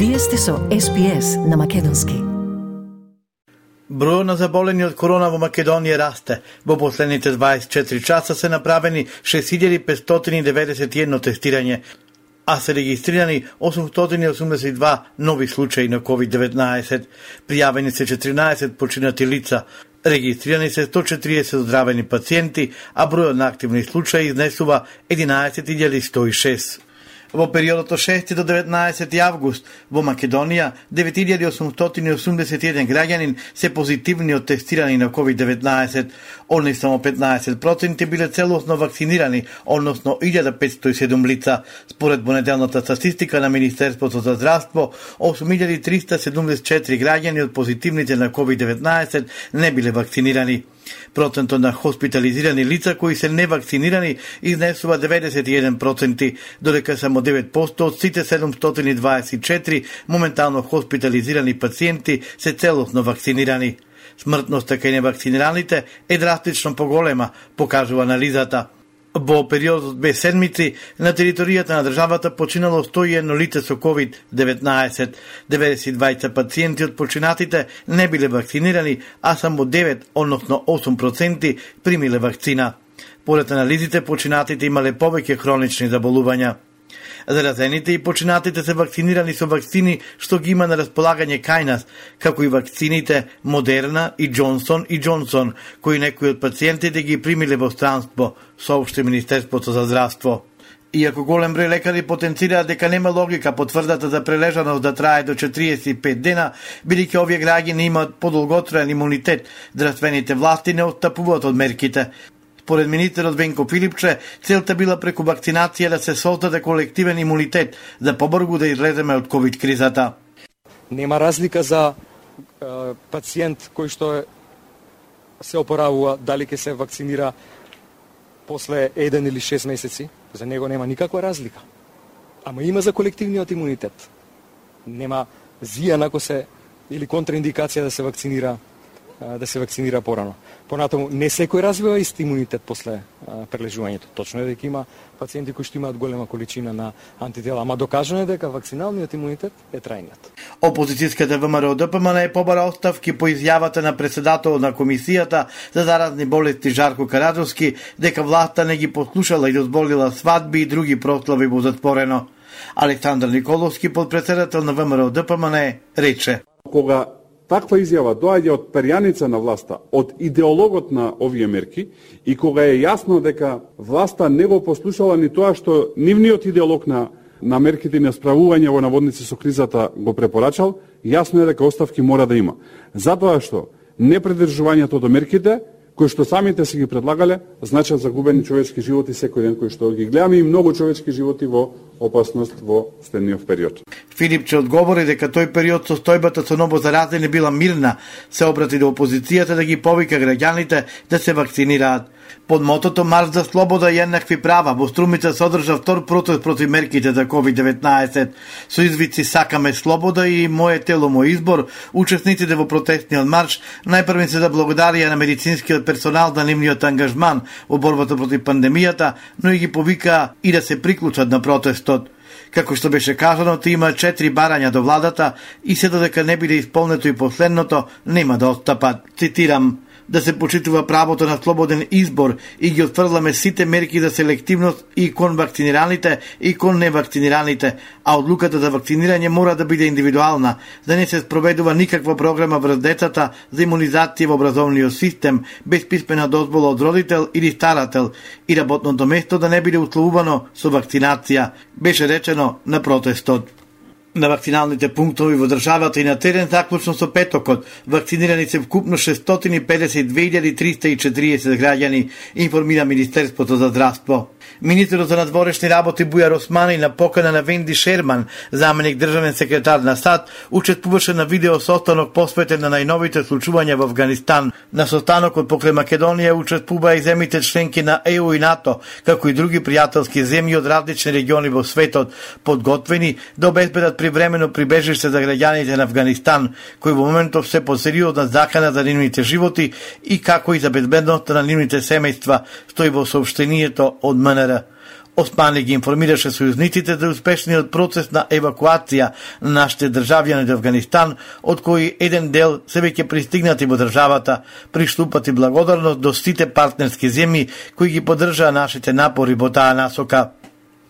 Вие сте со SPS на македонски. Бројот на заболени од корона во Македонија расте. Во последните 24 часа се направени 6591 тестирање, а се регистрирани 882 нови случаи на COVID-19. Пријавени се 14 починати лица. Регистрирани се 140 оздравени пациенти, а бројот на активни случаи изнесува 11.106. Во периодот од 6 до 19 август во Македонија 9881 граѓанин се позитивни од тестирани на COVID-19. Од них само 15% биле целосно вакцинирани, односно 1507 лица. Според понеделната статистика на Министерството за здравство, 8374 граѓани од позитивните на COVID-19 не биле вакцинирани. Процентот на хоспитализирани лица кои се невакцинирани изнесува 91%, додека само 9% од сите 724 моментално хоспитализирани пациенти се целосно вакцинирани. Смртноста кај невакцинираните е драстично поголема, покажува анализата. Во период од 2 седмици на територијата на државата починало 101 лице со COVID-19. 92 пациенти од починатите не биле вакцинирани, а само 9, односно 8% примиле вакцина. Поред анализите, починатите имале повеќе хронични заболувања. Заразените и починатите се вакцинирани со вакцини што ги има на располагање кај нас, како и вакцините Модерна и Джонсон и Джонсон, кои некои од пациентите ги примиле во странство, соопшти Министерството за здравство. Иако голем број лекари потенцираат дека нема логика потврдата за прележаност да трае до 45 дена, бидејќи овие граѓани имаат подолготраен имунитет, здравствените власти не отстапуваат од мерките. Според министерот Венко Филипче, целта била преку вакцинација да се создаде колективен имунитет, за побрзо да излеземе од ковид кризата. Нема разлика за пациент кој што се опоравува дали ќе се вакцинира после 1 или 6 месеци, за него нема никаква разлика. Ама има за колективниот имунитет. Нема зија ако се или контраиндикација да се вакцинира порано. Понатаму, не секој развива ист имунитет после прележувањето. Точно е дека има пациенти кои што имаат голема количина на антитела, ама докажано е дека вакциналниот имунитет е трајниот. Опозицијската ВМРО ДПМН е побара оставки по изјавата на председателот на Комисијата за заразни болести Жарко Караджовски дека власта не ги послушала и дозволила свадби и други прослави во затворено. Александар Николовски, подпредседател на ВМРО ДПМН, рече: Кога таква изјава доаѓа од перјаница на власта, од идеологот на овие мерки, и кога е јасно дека власта не го послушала ни тоа што нивниот идеолог на мерките на справување во наводници со кризата го препорачал, јасно е дека оставки мора да има. Затоа што непредржувањето до мерките, кои што самите се ги предлагале, значат загубени човечки животи секој ден кои што ги гледаме и многу човечки животи во опасност во следниот период. Филипче одговори дека тој период состојбата со новозаразени била мирна, се обрати до опозицијата да ги повика граѓаните да се вакцинираат. Под мотото Марш за слобода и еднакви права во Струмица се одржа втор протест против мерките за COVID-19. Со извици "Сакаме слобода" и "Моје тело, мој избор", учесниците во протестниот марш најпрво се заблагодарија на медицинскиот персонал за нивниот ангажман во борбата против пандемијата, но и ги повикаа и да се приклучат на протестот. Како што беше кажано, има 4 барања до владата и се додека не биде исполнето и последното, нема да отстапат. Цитирам: "Да се почитува правото на слободен избор и ги отфрламе сите мерки за селективност и кон вакцинираните и кон невакцинираните, а одлуката за вакцинирање мора да биде индивидуална, да не се спроведува никаква програма врз децата за имунизација во образовниот систем, без писмена дозвола од родител или старател, и работното место да не биде условувано со вакцинација", беше речено на протестот. На вакциналните пунктови во државата и на терен заклучно со петокот вакцинирани се вкупно 652.340 граѓани, информира Министерството за здравство. Министерот за надворешни работи Бујар Османи на покана на Венди Шерман, заменик државен секретар на САД, учествуваше на видео состанок посветен на најновите случувања во Авганистан. На состанокот покрај Македонија учествуваа и земјите членки на ЕУ и НАТО, како и други пријателски земји од различни региони во светот, подготвени да обезбедат привремено прибежиште за граѓаните на Авганистан, кои во моментов се под сериозна закана за нивните животи и како и за безбедноста на нивните семејства, стои во соопштението од МНР. Османи ги информираше сојузниците за успешниот процес на евакуација на нашите државјани од Авганистан, од кои еден дел се веќе пристигнати во државата, приштупати благодарност до сите партнерски земји кои ги поддржаа нашите напори во таа насока.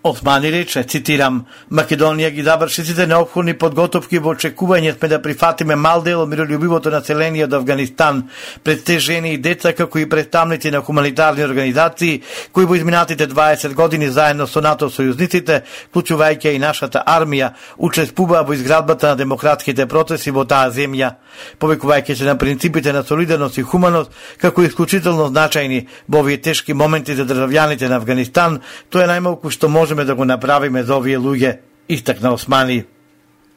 Османи рече, цитирам, Македонија ги заврши сите неопходни подготовки во очекување сме да прифатиме мал дел од миролюбивото население од Авганистан, пред те жени и деца како и представници на хуманитарни организации кои во изминатите 20 години заедно со НАТО сојузниците, вклучувајќи и нашата армија, учествуваа во изградбата на демократските процеси во таа земја, повекувајќи се на принципите на солидарност и хуманост како исклучително значајни во овие тешки моменти за државјаните на Авганистан. Тоа е најмалку што можеме да го направиме за овие луѓе, истакна Османи.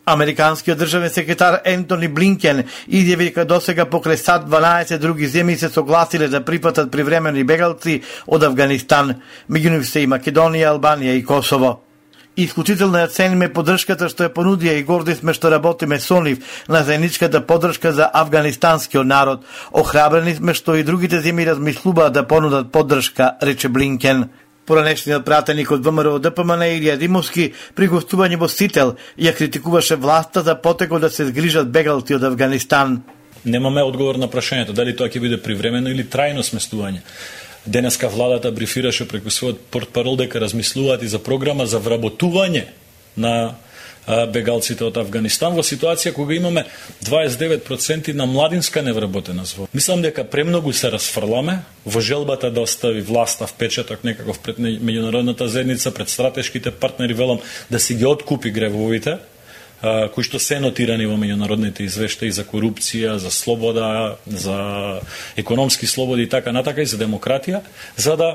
Американскиот државен секретар Ентони Блинкен изјави дека досега покрај САД 12 други земји се согласиле да прифатат привремени бегалци од Авганистан, меѓу нив се и Македонија, Албанија и Косово. Исклучително ја цениме поддршката што ја понудија и горди сме што работиме со нив на заедничката поддршка за афганистанскиот народ. Охрабрени сме што и другите земји размислуваат да понудат поддршка, рече Блинкен. Поранешниот пратеник од ВМРО ДПМН Илија Димовски при гостување во Сител ја критикуваше власта за потекот да се згрижат бегалци од Авганистан. Немаме одговор на прашањето дали тоа ќе биде привремено или трајно сместување. Денеска владата брифираше преку својот портпарол дека размислуваат и за програма за вработување на бегалците од Авганистан во ситуација кога имаме 29% на младинска невработена зво. Мислам дека премногу се расфрламе во желбата да остави власта впечаток некаков пред меѓународната заедница, пред стратешките партнери, велам, да си ги откупи гревовите, кои што се нотирани во меѓународните извештаи за корупција, за слобода, за економски слободи и така натака, и за демократија, за да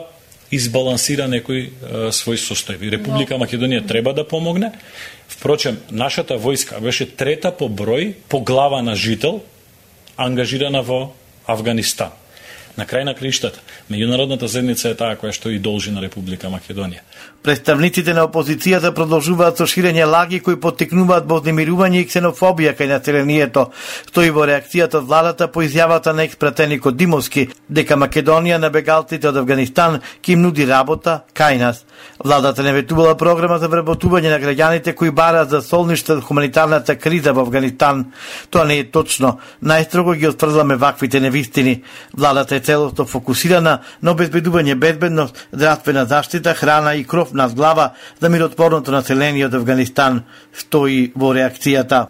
избалансира некои своји состојби. Република Македонија треба да помогне. Впрочем, нашата војска беше трета по број, по глава на жител, ангажирана во Авганистан. На крај на криштата, меѓународната заедница е таа која што и должи на Република Македонија. Представниците на опозицијата продолжуваат со ширење лаги кои поттикнуваат вознемирување и ксенофобија кај населението, стои во реакцијата од владата по изјавата на експратеникот Димовски дека Македонија на бегалците од Авганистан ќе им нуди работа кај нас. Владата не ветувала програма за вработување на граѓаните кои бараат за солниште од хуманитарната криза во Авганистан. Тоа не е точно. Најстрого ги отфрламе ваквите невистини. Владата е целосно фокусирана на обезбедување безбедност, здравствена заштита, храна и кров над глава за миротворното население од Авганистан, стои во реакцијата.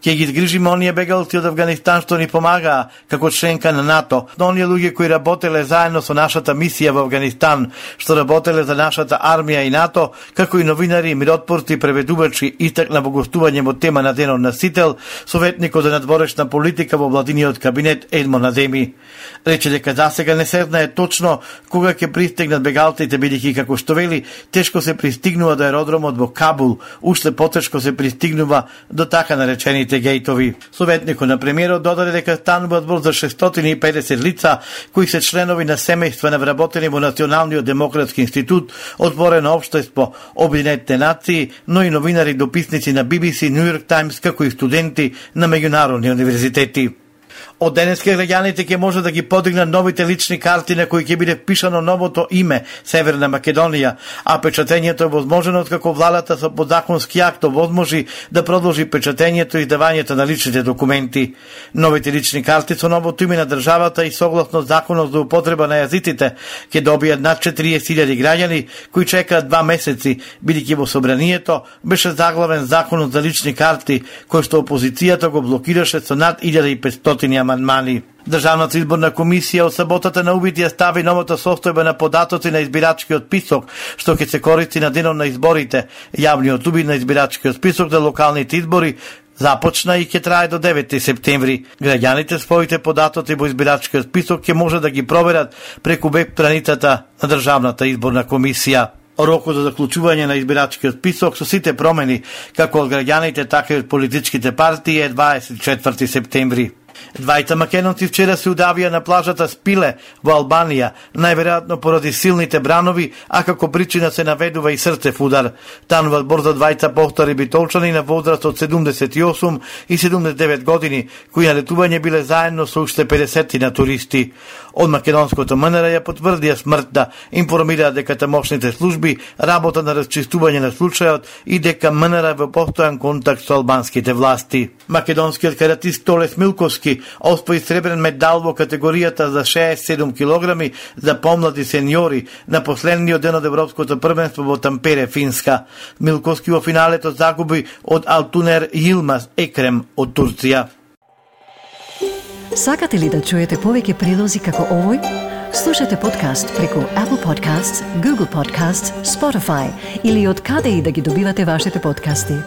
Ќе ги згрижиме оние бегалци од Авганистан што ни помагаа како членка на НАТО, но оние луѓе кои работеле заедно со нашата мисија во Авганистан, што работеле за нашата армија и НАТО, како и новинари, миротворци, преведувачи, истакна во гостување во тема на денот на Сител, советникот за надворешна политика во владиниот кабинет Едмон Адеми. Рече дека засега не се знае точно кога ќе пристигнат бегалците, бидејќи како што вели, тешко се пристигнува до аеродромот во Кабул, уште потешко се пристигнува до така наречените гејтови. Советникот на премиерот додаде дека станува збор за 650 лица кои се членови на семејства на вработени во Националниот демократски институт, отворено општество, Обединетите нации, но и новинари, дописници на BBC, New York Times, како и студенти на меѓународни универзитети. Од денеска граѓаните ќе може да ги подигнат новите лични карти на кои ќе биде впишано новото име Северна Македонија, а печатењето е возможно откако владата со подзаконски акт возможи да продолжи печатењето и издавањето на личните документи. Новите лични карти со новото име на државата и согласно законот за употреба на јазиците ќе добијат над 40.000 граѓани кои чекаат 2 месеци, бидејќи во собранието беше заглавен законот за лични карти кој што опозицијата го блокираше со над 1500 амандмани. Државната изборна комисија од саботата на увид ја стави новата состојба на податоци на избирачкиот список, што ќе се користи на денот на изборите. Јавниот увид на избирачкиот список за локалните избори започна и ќе трае до 9 септември. Граѓаните своите податоци во избирачкиот список ќе може да ги проверат преку веб страницата на Државната изборна комисија. Рокот за заклучување на избирачкиот список со сите промени, како од граѓаните, така и од политичките партии, е 24 септември. Двајца македонци вчера се удавија на плажата Спиле во Албанија, најверојатно поради силните бранови, а како причина се наведува и срцев удар. Тануваат борза двајца повтори битолчани на возраст од 78 и 79 години, кои на летување биле заедно со уште 50 на туристи. Од македонското МНР ја потврдија смртта, информираа дека тамошните служби работа на расчистување на случајот и дека МНР во постојан контакт со албанските власти. Македонскиот каратист Толес Милковски освои сребрен медал во категоријата за 67 килограми за помлади сениори на последниот ден од Европското првенство во Тампере, Финска. Милковски во финалето загуби од Алтунер Йилмаз Екрем од Турција. Сакате ли да чуете повеќе прилози како овој? Слушате подкаст преку Apple Podcasts, Google Podcasts, Spotify или од каде и да ги добивате вашите подкасти.